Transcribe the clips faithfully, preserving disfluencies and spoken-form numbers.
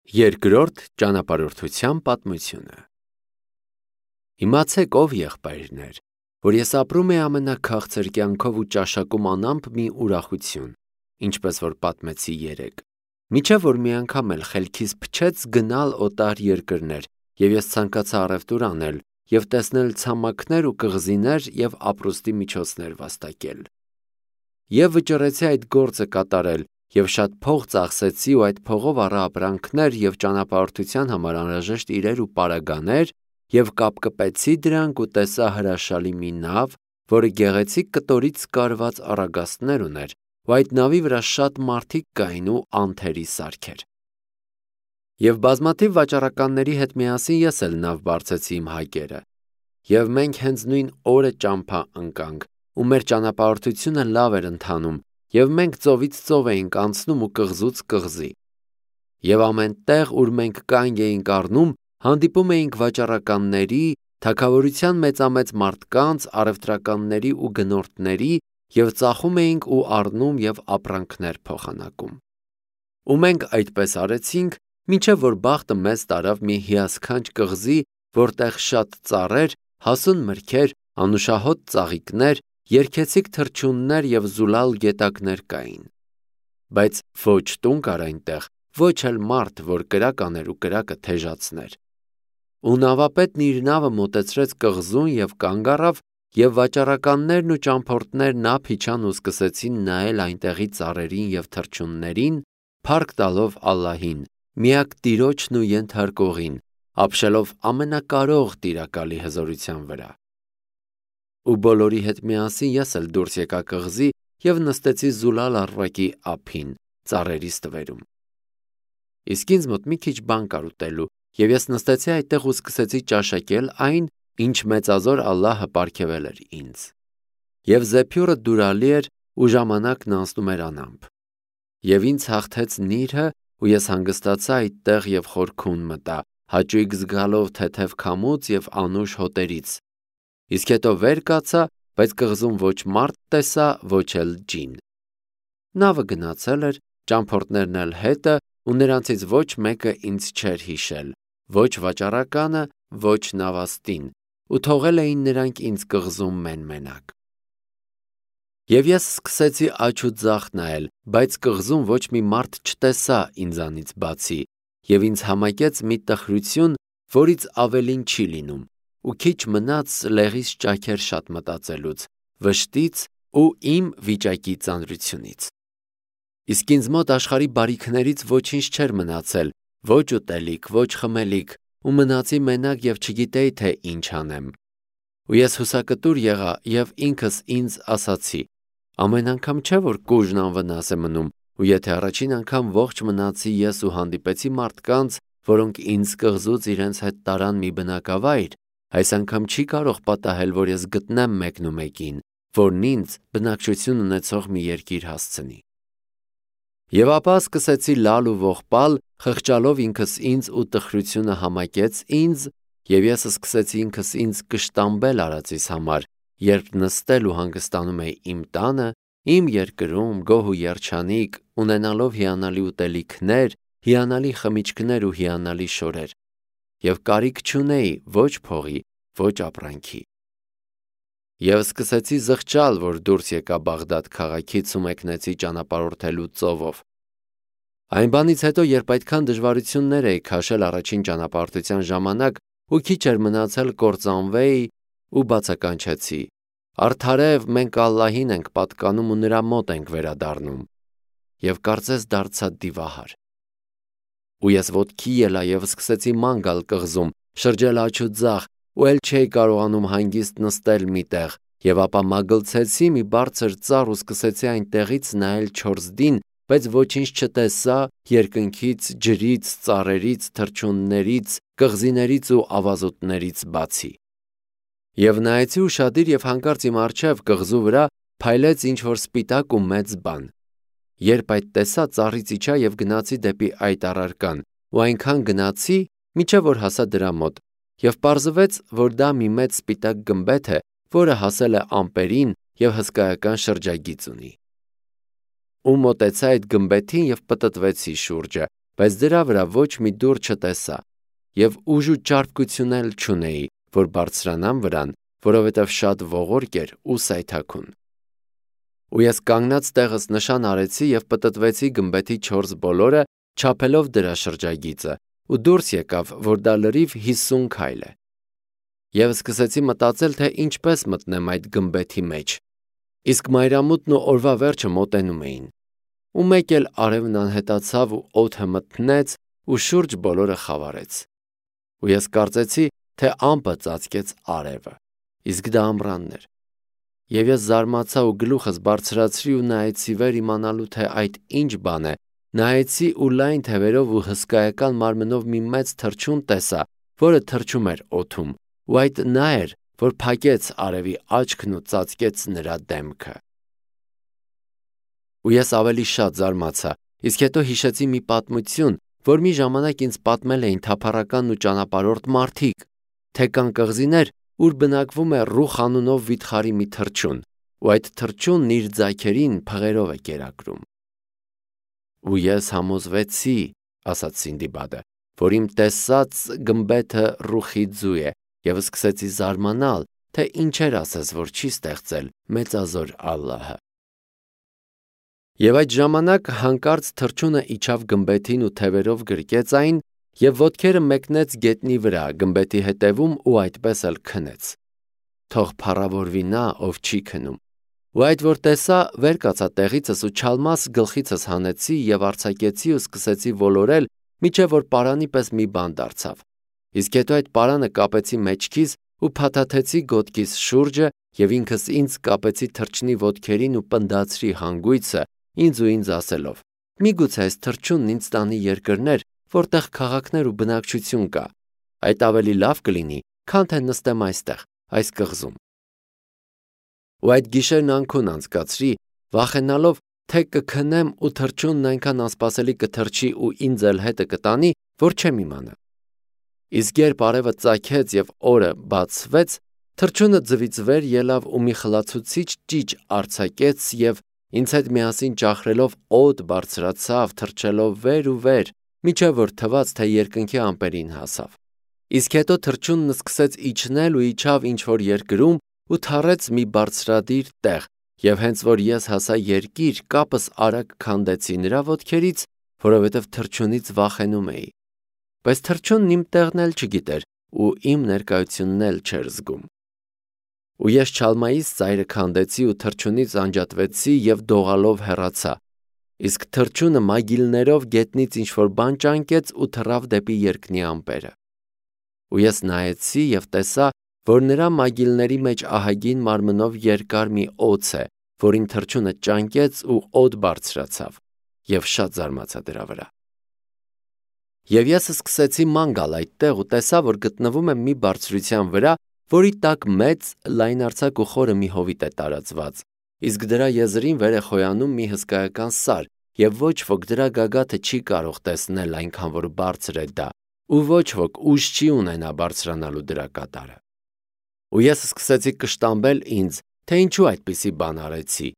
Երկրորդ ճանապարհորդության պատմությունը։ Իմացեք, ով եղբայրներ, որ ես ապրում եմ ամենաքաղցր կյանքով ու ճաշակում անամպ մի ուրախություն, ինչպես որ պատմեցի երեկ, մինչև որ մի անգամ էլ խելքիս փչեց գնալ օտար երկրներ, և ես ցանկացա առևտուր անել և տեսնել ցամաքներ ու կղզիներ և ապրուստի միջոցներ վաստակել։ Եվ վճռեցի այդ գործը կատարել և շատ փող ծախսեցի ու այդ փողով առա ապրանքներ և ճանապարհորդության համար անհրաժեշտ իրեր ու պարագաներ և կապկպեցի դրանք ու տեսա հրաշալի մի նավ, որը գեղեցիկ կտորից կարված առագաստներ ուներ, ու այդ նավի վրա շատ մարդիկ կային ու անթերի սարքեր։ Եվ բազմաթիվ վաճառականների հետ միասին ես էլ նավ բարձեցի իմ հայկերը, և մենք հենց նույն օրը ճամփա ընկանք, ու մեր ճանապարհորդությունը լավ էր ընթանում, և մենք ծովից ծով էինք անցնում ու կղզուց կղզի։ Եվ ամեն տեղ, ուր մենք կանգ էինք առնում, հանդիպում էինք վաճառականների, թագավորության մեծամեծ մարդկանց, առևտրականների ու գնորդների, և ծախում էինք ու առնում և ապրանքներ փոխանակում։ Ու մենք այդպես արեցինք, մինչև որ բախտը մեզ տարավ մի հիասքանչ կղզի, որտեղ շատ ծառեր, հասուն մրգեր, անուշահոտ ծաղիկներ, երգեցիկ թռչուններ և զուլալ գետակներ կային։ Բայց ոչ տուն կար այնտեղ, ոչ էլ մարդ, որ կրակ աներ ու կրակը թեժացներ։ Ու նավապետն իր նավը մոտեցրեց կղզուն և կանգ առավ, և վաճառականներն ու ճամփորդներն ափ իջան ու սկսեցին նայել այնտեղի ծառերին և թռչուններին, փառք տալով Ալլահին, միակ Տիրոջն ու Ենթարկողին, ապշելով ամենակարող Տիրակալի հզորության վրա։ Ու բոլորի հետ միասին ես էլ դուրս եկա կղզի և նստեցի զուլալ առվակի ափին, ծառերի ստվերում։ Իսկ ինձ մոտ մի քիչ բան կար ուտելու, և ես նստեցի այդտեղ ու սկսեցի ճաշակել այն, ինչ մեծազոր Ալլահը պարգևել էր ինձ։ Եվ զեփյուռը դուրալի էր, ու ժամանակն անցնում էր անամպ։ Եվ ինձ հաղթեց նիրհը, ու ես հանգստացա այդտեղ և խորքուն մտա, հաճույք զգալով թեթև քամուց և անուշ հոտերից։ Իսկ հետո վեր կացա, բայց կղզում ոչ մարդ տեսա, ոչ էլ ջին։ Նավը գնացել էր, ճամփորդներն էլ հետը, ու նրանցից ոչ մեկը ինձ չէր հիշել, ոչ վաճառականը, ոչ նավաստին, ու թողել էին նրանք ինձ կղզում մեն-մենակ։ Եվ ես սկսեցի աջ ու ձախ նայել, բայց կղզում ոչ մի մարդ չտեսա ինձանից բացի, և ինձ համակեց մի տխրություն, որից ավելին չի լինում, ու քիչ մնաց լեղիս ճաքեր շատ մտածելուց, վշտից ու իմ վիճակի ծանրությունից։ Իսկ ինձ մոտ աշխարհի բարիքներից ոչինչ չէր մնացել, ոչ ուտելիք, ոչ խմելիք, ու մնացի մենակ և չգիտեի, թե ինչ անեմ։ Ու ես հուսակտուր եղա և ինքս ինձ ասացի. ամեն անգամ չէ, որ կուժն անվնաս է մնում, ու եթե առաջին անգամ ողջ մնացի ես ու հանդիպեցի մարդկանց, որոնք ինձ կղզուց իրենց հետ տարան մի բնակավայր, այս անգամ չի կարող պատահել, որ ես գտնեմ մեկնումեկին, որն ինձ բնակչություն ունեցող մի երկիր հասցնի։ Եվ ապա սկսեցի լալ ու ողբալ, խղճալով ինքս ինձ, ու տխրությունը համակեց ինձ, և ես սկսեցի ինքս ինձ կշտամբել արածիս համար, երբ նստել ու հանգստանում էի իմ տանը, իմ երկրում, գոհ ու երջանիկ, ունենալով հիանալի ուտելիքներ, հիանալի խմիչքներ ու հիանալի շորեր, և կարիք չունեի ոչ փողի, ոչ ապրանքի։ Եվ սկսեցի զղջալ, որ դուրս եկա Բաղդադ քաղաքից ու մեկնեցի ճանապարհորդելու ծովով։ Այն բանից հետո, երբ այդքան դժվարություններ էի քաշել առաջին ճանապարհորդության ժամանակ ու քիչ էր մնացել կործանվեի, ու բացականչեցի. «Արդարև մենք Ալլահին ենք պատկանում ու նրա մոտ ենք վերադառնում», և կարծես դարձա դիվահար։ Ու ես ոտքի ելա և սկսեցի ման գալ կղզում, շրջել աջ ու ձախ, ու էլ չէի կարողանում հանգիստ նստել մի տեղ, և ապա մագլցեցի մի բարձր ծառ ու սկսեցի այնտեղից նայել չորսդին, բայց ոչինչ չտեսա երկնքից, ջրից, ծառերից, թռչուններից, կղզիներից ու ավազուտներից բացի։ Եվ նայեցի ուշադիր, և հանկարծ իմ առջև կղզու վրա փայլեց ինչ-որ սպիտակ ու մեծ բան։ Երբ այդ տեսա, ծառից իջա և գնացի դեպի այդ առարկան, ու այնքան գնացի, մինչև որ հասա դրա մոտ, և պարզվեց, որ դա մի մեծ սպիտակ գմբեթ է, որը հասել է ամպերին և հսկայական շրջագիծ ունի։ Ու մոտեցա այդ գմբեթին և պտտվեցի շուրջը, բայց դրա վրա ոչ մի դուռ չտեսա, և ուժ ու ճարպկություն էլ չունեի, որ բարձրանամ վրան, որովհետև շատ ողորկ էր ու սայթաքուն։ Ու ես կանգնած տեղս նշան արեցի և պտտվեցի գմբեթի չորս բոլորը, չափելով դրա շրջագիծը, ու դուրս եկավ, որ դա լրիվ հիսուն քայլ է։ Եվ սկսեցի մտածել, թե ինչպես մտնեմ այդ գմբեթի մեջ, իսկ մայրամուտն ու օրվա վերջը մոտենում էին։ Ու մեկ էլ արևն անհետացավ ու օդը մթնեց ու շուրջ բոլորը խավարեց։ Ու ես կարծեցի, թե ամպը ծածկեց արևը, իսկ դա ամռանն էր։ Եվ ես զարմացա ու գլուխս բարձրացրի ու նայեցի վեր իմանալու, թե այդ ինչ բան է, նայեցի ու լայն թևերով ու հսկայական մարմնով մի մեծ թռչուն տեսա, որը թռչում էր օդում, ու այդ նա էր, որ փակեց արևի աչքն ու ծածկեց նրա դեմքը։ Ու ես ավելի շատ զարմացա, իսկ հետո հիշեցի մի պատմություն, որ մի ժամանակ ինձ պատմել էին թափառական ու ճանապարհորդ մարդիկ, թե կան կղզիներ, ուր բնակվում է Ռուխ անունով վիթխարի մի թռչուն, ու այդ թռչունն իր ձայքերին փղերով է կերակրում։ Ու ես համոզվեցի, ասաց Սինդիբադը, որ իմ տեսած գմբեթը Ռուխի ձու է, և սկսեցի զարմանալ, թե ինչեր ասես, որ չի ստեղծել մեծազոր Ալլահը։ Եվ այդ ժամանակ հանկարծ թռչունը իջավ գմբեթին ու թևերով գրկեց այն և ոտքերը մեկնեց գետնի վրա գմբեթի հետևում ու այդպես էլ քնեց։ Թող փառավորվի նա, ով չի քնում։ Ու այդ որ տեսա, վեր կացա տեղիցս ու չալմաս գլխիցս հանեցի և արձակեցի ու սկսեցի ոլորել, մինչև որ պարանի պես մի բան դարձավ։ Իսկ հետո այդ պարանը կապեցի մեջքիս ու փաթաթեցի գոտքիս շուրջը և ինքս ինձ կապեցի թռչնի ոտքերին ու պնդացրի հանգույցը, ինձ ու ինձ ասելով. միգուցե այս թռչունն ինձ տանի երկրներ, որտեղ քաղաքներ ու բնակչություն կա, այդ ավելի լավ կլինի, քան թե նստեմ այստեղ, այս կղզում։ Ու այդ գիշերն անքուն անցկացրի, վախենալով, թե կքնեմ ու թռչունն այնքան անսպասելի կթռչի ու ինձ էլ հետը կտանի, որ չեմ իմանա։ Իսկ երբ արևը ծագեց և օրը բացվեց, թռչունը ձվից վեր ելավ ու մի խլացուցիչ ճիչ արձակեց և ինձ հետ միասին ճախրելով օդ բարձրացավ, թռչելով վեր ու վեր, մինչև որ թվաց, թե երկնքի ամպերին հասավ։ Իսկ հետո թռչունն սկսեց իջնել ու իջավ ինչ-որ երկրում ու թռեց մի բարձրադիր տեղ, և հենց որ ես հասա երկիր, կապս արագ քանդեցի նրա ոտքերից, որովհետև թռչունից վախենում էի։ Բայց թռչունն իմ տեղն էլ չգիտեր ու իմ ներկայությունն էլ չէր զգում։ Ու ես չալմայիս ծայրը քանդեցի ու թռչունից անջատվեցի և դողալով հեռացա, իսկ թռչունը մագիլներով գետնից ինչ-որ բան ճանկեց ու թռավ դեպի երկնի ամպերը։ Ու ես նայեցի և տեսա, որ նրա մագիլների մեջ ահագին մարմնով երկար մի օձ է, որին թռչունը ճանկեց ու օդ բարձրացավ, և շատ զարմացա դրա վրա։ Եվ ես սկսեցի ման գալ այդտեղ ու տեսա, որ գտնվում եմ մի բարձրության վրա, որի տակ մեծ, լայնարձակ ու խորը մի հովիտ է տարածված, իսկ դրա եզրին վեր է խոյանում մի հսկայական սար, և ոչ ոք դրա գագաթը չի կարող տեսնել, այնքան որ բարձր է դա, ու ոչ ոք ուժ չի ունենա բարձրանալու դրա կատարը։ Ու ես սկսեցի կշտամբել ինձ, թե ինչու այդպիսի բան արեցի,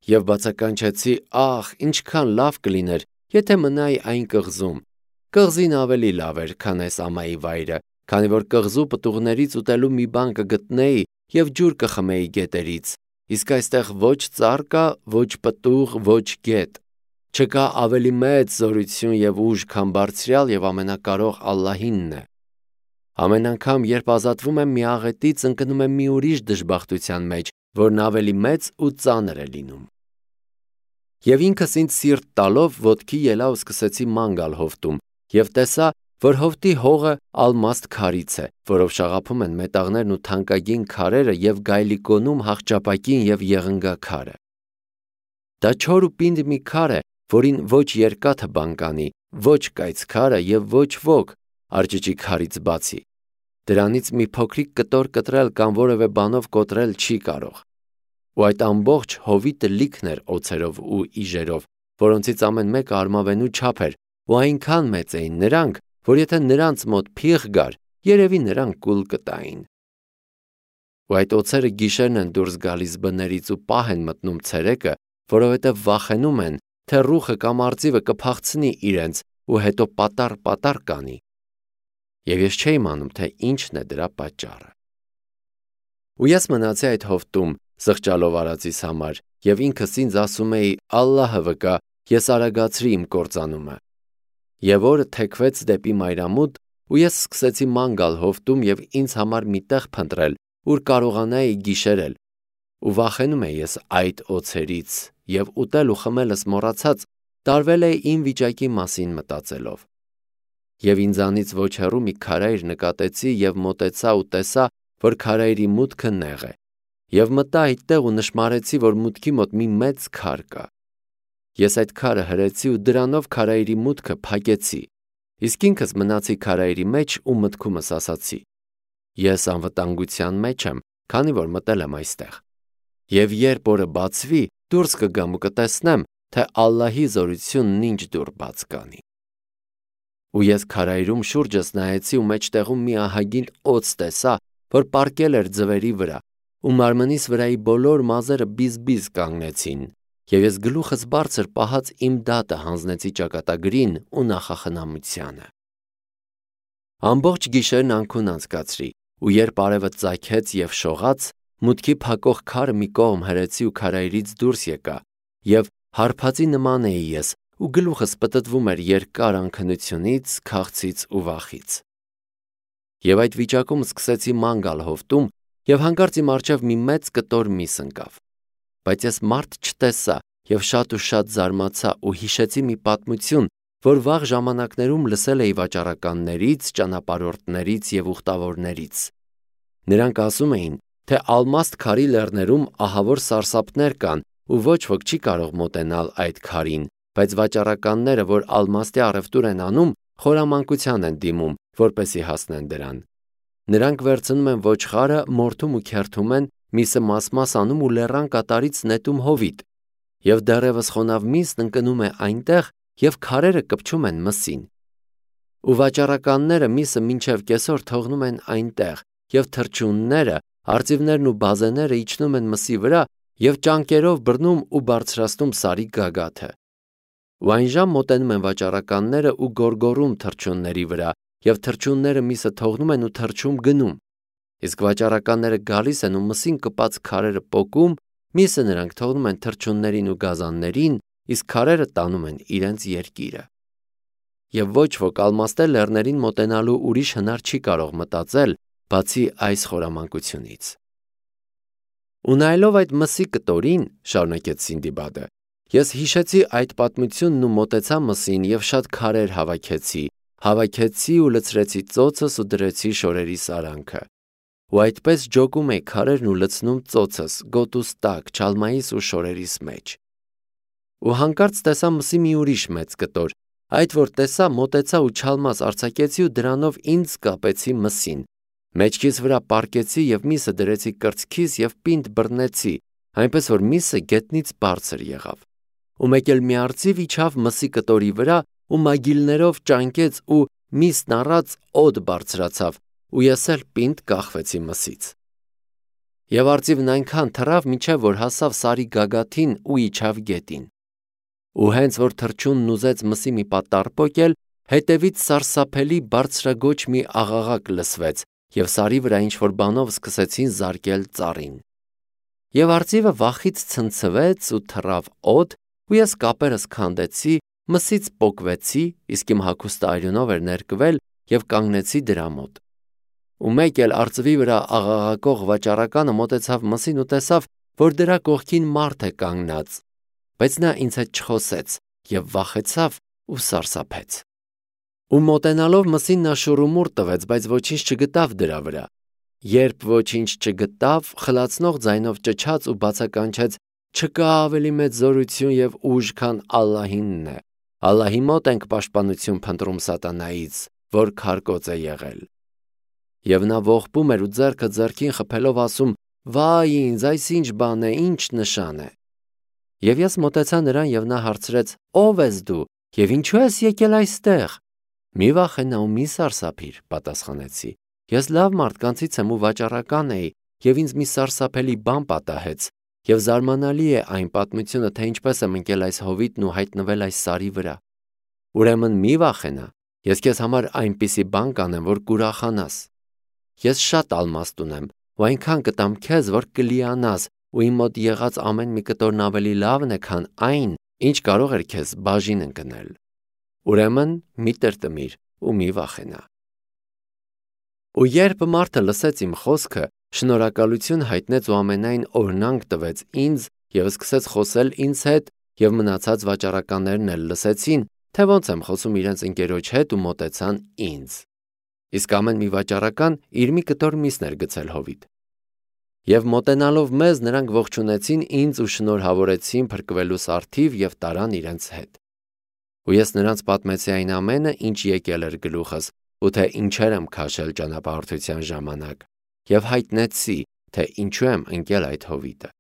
և բացականչեցի. ահ, ինչքան լավ կլիներ, եթե մնայի այն կղզում։ Կղզին ավելի լավ էր, քան այս ամայի վայրը, քանի որ կղզու պտուղներից ուտելու մի բան կգտնեի և ջուր կխմեի գետերից, իսկ այստեղ ոչ ծառ կա, ոչ պտուղ, ոչ գետ։ Չկա ավելի մեծ զորություն և ուժ, քան բարձրյալ և ամենակարող Ալլահինն է։ Ամեն անգամ, երբ ազատվում եմ մի աղետից, ընկնում եմ մի ուրիշ դժբախտության մեջ, որն ավելի մեծ ու ծանր է լինում։ Եվ ինքս ինձ սիրտ տալով ոտքի ելա ու սկսեցի ման գալ հովտում, և տեսա, որ հովտի հողը ալմաստ քարից է, որով շաղափում են մետաղներն ու թանկագին քարերը և գայլիկոնում հախճապակին և եղնգաքարը։ Դա չոր ու պինդ մի քար է, որին ոչ երկաթը բան կանի, ոչ կայծքարը և ոչ ոք, արջիջի քարից բացի։ Դրանից մի փոքրիկ կտոր կտրել կամ որևէ բանով կոտրել չի կարող։ Ու այդ ամբողջ հովիտը լիքն էր օձերով ու իժերով, որոնցից ամեն մեկը արմավենու չափ էր, ու այնքան մեծ էին նրանք, որ եթե նրանց մոտ փիղ գար, երևի նրանք կուլ կտային։ Ու այդ օձերը գիշերն են դուրս գալիս բներից ու պահ են մտնում ցերեկը, որովհետև վախենում են, թե ռուխը կամ արծիվը կփախցնի իրենց ու հետո պատառ-պատառ կանի։ Եվ ես չէի իմանում, թե ինչն է դրա պատճառը։ Ու ես մնացի այդ հովտում զղջալով արածիս համար և ինքս ինձ ասում էի. «Ալլահը վկա, ես արագացրի իմ կործանումը»։ Եվ օրը թեքվեց դեպի մայրամուտ, ու ես սկսեցի ման գալ հովտում և ինձ համար մի տեղ փնտրել, ուր կարողանայի գիշերել, ու վախենում էի ես այդ օձերից, և ուտել ու խմելս մոռացած տարվել էի իմ վիճակի մասին մտածելով։ Եվ ինձանից ոչ հեռու մի քարայր նկատեցի և մոտեցա ու տեսա, որ քարայրի մուտքը նեղ է, և մտա այդտեղ ու նշմարեցի, որ մուտքի մոտ մի մեծ քար կա։ Ես այդ քարը հրեցի ու դրանով քարայրի մուտքը փակեցի, իսկ ինքս մնացի քարայրի մեջ ու մտքումս ասացի. ես անվտանգության մեջ եմ, քանի որ մտել եմ այստեղ։ Եվ երբ օրը բացվի, դուրս կգամ ու կտեսնեմ, թե Ալլահի զորությունն ինչ դուռ բաց կանի։ Ու ես քարայրում շուրջս նայեցի ու մեջտեղում մի ահագին օձ տեսա, որ պառկել էր ձվերի վրա, ու մարմնիս վրայի բոլոր մազերը բիզ-բիզ կանգնեցին, և ես գլուխս բարձր պահած իմ դատը հանձնեցի ճակատագրին ու նախախնամությանը։ Ամբողջ գիշերն անքուն անցկացրի, ու երբ արևը ծագեց և շողաց, մուտքի փակող քարը մի կողմ հրեցի ու քարայրից դուրս եկա, և հարբածի նման էի ես, ու գլուխս պտտվում էր երկար անքնությունից, քաղցից ու վախից։ Եվ այդ վիճակում սկսեցի ման գալ հովտում, և հանկարծ իմ առջև մի մեծ կտոր միս ընկավ։ Բայց ես մարդ չտեսա և շատ ու շատ զարմացա ու հիշեցի մի պատմություն, որ վաղ ժամանակներում լսել էի վաճառականներից, ճանապարհորդներից և ուխտավորներից։ Նրանք ասում էին, թե Ալմաստ քարի լեռներում ահավոր սարսափներ կան ու ոչ ոք չի կարող մոտենալ այդ քարին, բայց վաճառականները, որ ալմաստի առևտուր են անում, խորամանկության են դիմում, որպեսզի հասնեն դրան։ Նրանք վերցնում են ոչխարը, մորթում ու քերթում են, միսը մաս-մաս անում ու լեռան կատարից նետում հովիտ, և դեռևս խոնավ միսն ընկնում է այնտեղ և քարերը կպչում են մսին։ Ու վաճառականները միսը մինչև կեսօր թողնում են այնտեղ, և թռչունները, արծիվներն ու բազեները իջնում են մսի վրա և ճանկերով բռնում ու բարձրացնում սարի գագաթը։ Ու այն ժամ մոտենում են վաճառականները ու գոռգոռում թռչունների վրա, և թռչունները միսը թողնում են ու թռչում գնում։ Իսկ վաճառականները գալիս են ու մսին կպած քարերը պոկում, միսը նրանք թողնում են թռչուններին ու գազաններին, իսկ քարերը տանում են իրենց երկիրը։ Եվ ոչ ոք ալմաստե լեռներին մոտենալու ուրիշ հնար չի կարող մտածել, բացի այս խորամանկությունից։ Ու նայելով այդ մսի կտորին, շարունակեց Սինդիբադը, ես հիշեցի այդ պատմությունն ու մոտեցա մսին և շատ քարեր հավաքեցի, հավաքեցի ու լցրեցի ծոցս ու դրեցի շորերի սարանքը։ Ու այդպես ջոկում էի քարերն ու լցնում ծոցս, գոտուս տակ, չալմայիս ու շորերիս մեջ։ Ու հանկարծ տեսա մսի մի ուրիշ մեծ կտոր, այդ որ տեսա, մոտեցա ու չալմաս արձակեցի ու դրանով ինձ կապեցի մսին, մեջքիս վրա պառկեցի և միսը դրեցի կրծքիս և պինդ բռնեցի, այնպես որ միսը գետնից բարձր եղավ։ Ու մեկ էլ մի արծիվ իջավ մսի կտորի վրա ու մագիլներով ճանկեց ու միսն առած օդ բարձրացավ, ու ես էլ պինդ կախվեցի մսից։ Եվ արծիվն այնքան թռավ, մինչև որ հասավ սարի գագաթին ու իջավ գետին։ Ու հենց որ թռչունն ուզեց մսի մի պատառ պոկել, հետևից սարսափելի բարձրաձոչ մի աղաղակ լսվեց, և սարի վրա ինչ-որ բանով սկսեցին զարկել ծառին։ Եվ արծիվը վախից ցնցվեց ու թռավ օդ, ու ես կապերս քանդեցի, մսից պոկվեցի, իսկ իմ հագուստը արյունով էր ներկվել, և կանգնեցի դրա մոտ։ Ու մեկ էլ արծվի վրա աղաղակող վաճառականը մոտեցավ մսին ու տեսավ, որ դրա կողքին մարդ է կանգնած, բայց նա ինձ հետ չխոսեց և վախեցավ ու սարսափեց։ Ու մոտենալով մսին նա շուռումուռ տվեց, բայց ոչինչ չգտավ դրա վրա։ Երբ ոչինչ չգտավ, խլացնող ձայնով ճչաց ու բացականչեց. «Չկա ավելի մեծ զորություն և ուժ, քան Ալլահինն է։ Ալլահի մոտ ենք պաշտպանություն փնտրում սատանայից, որ քարկոծ է եղել»։ Եվ նա ողբում էր ու ձեռքը ձեռքին խփելով ասում. «Վայ ինձ, այս ինչ բան է, ինչ նշան է»։ Եվ ես մոտեցա նրան և նա հարցրեց. «Ո՞վ ես դու և ինչու ես եկել այստեղ»։ «Մի վախենա ու մի սարսափիր», պատասխանեցի։ «Ես լավ մարդկանցից եմ ու վաճառական էի, և ինձ մի սարսափելի բան պատահեց, և զարմանալի է այն պատմությունը, թե ինչպես եմ ընկել այս հովիտն ու հայտնվել այս սարի վրա»։ Ուրեմն մի վախենա, ես քեզ համար այնպիսի բան կանեմ, որ կուրախանաս։ Ես շատ ալմաստ ունեմ, ու այնքան կտամ քեզ, որ կլիանաս, ու իմ մոտ եղած ամեն մի կտորն ավելի լավն է, քան այն, ինչ կարող էր քեզ բաժին ընկնել։ Ուրեմն մի տրտմիր ու մի վախենա։ Ու երբ մարդը լսեց իմ խոսքը, շնորհակալություն հայտնեց ու ամենայն օրհնանք տվեց ինձ և սկսեց խոսել ինձ հետ, և մնացած վաճառականներն էլ լսեցին, թե ոնց եմ խոսում իրենց ընկերոջ հետ ու մոտեցան ինձ։ Իսկ ամեն մի վաճառական իր մի կտոր միս էր գցել հովիտ։ Եվ մոտենալով մեզ, նրանք ողջունեցին ինձ ու շնորհավորեցին փրկվելու սարթիվ և տարան իրենց հետ։ Ու ես նրանց պատմեցի այն ամենը, ինչ եկել էր գլուխս, ու թե ինչեր եմ քաշել ճանապարհորդության ժամանակ, և հայտնեցի, թե ինչու եմ ընկել այդ հովիտը։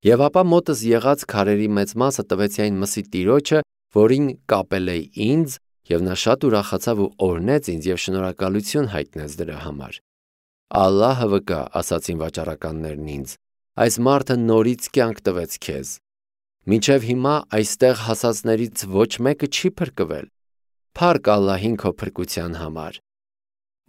Եվ ապա մոտս եղած քարերի մեծ մասը տվեցի այն մսի տիրոջը, որին կապել էի ինձ, և նա շատ ուրախացավ ու օրհնեց ինձ և շնորհակալություն հայտնեց դրա համար։ Ալլահը վկա, ասացին վաճառականներն ինձ, այս մարդը նորից կյանք տվեց քեզ։ Մինչև հիմա այստեղ հասածներից ոչ մեկը չի փրկվել։ Փառք Ալլահին քո փրկության համար։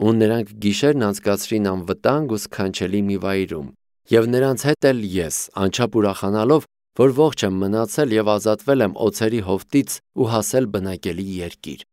Ու նրանք գիշերն անցկացրին անվտանգ ու սքանչելի մի վայրում, և նրանց հետ էլ ես, անչափ ուրախանալով, որ ողջ եմ մնացել և ազատվել եմ օձերի հովտից ու հասել բնակելի երկիր։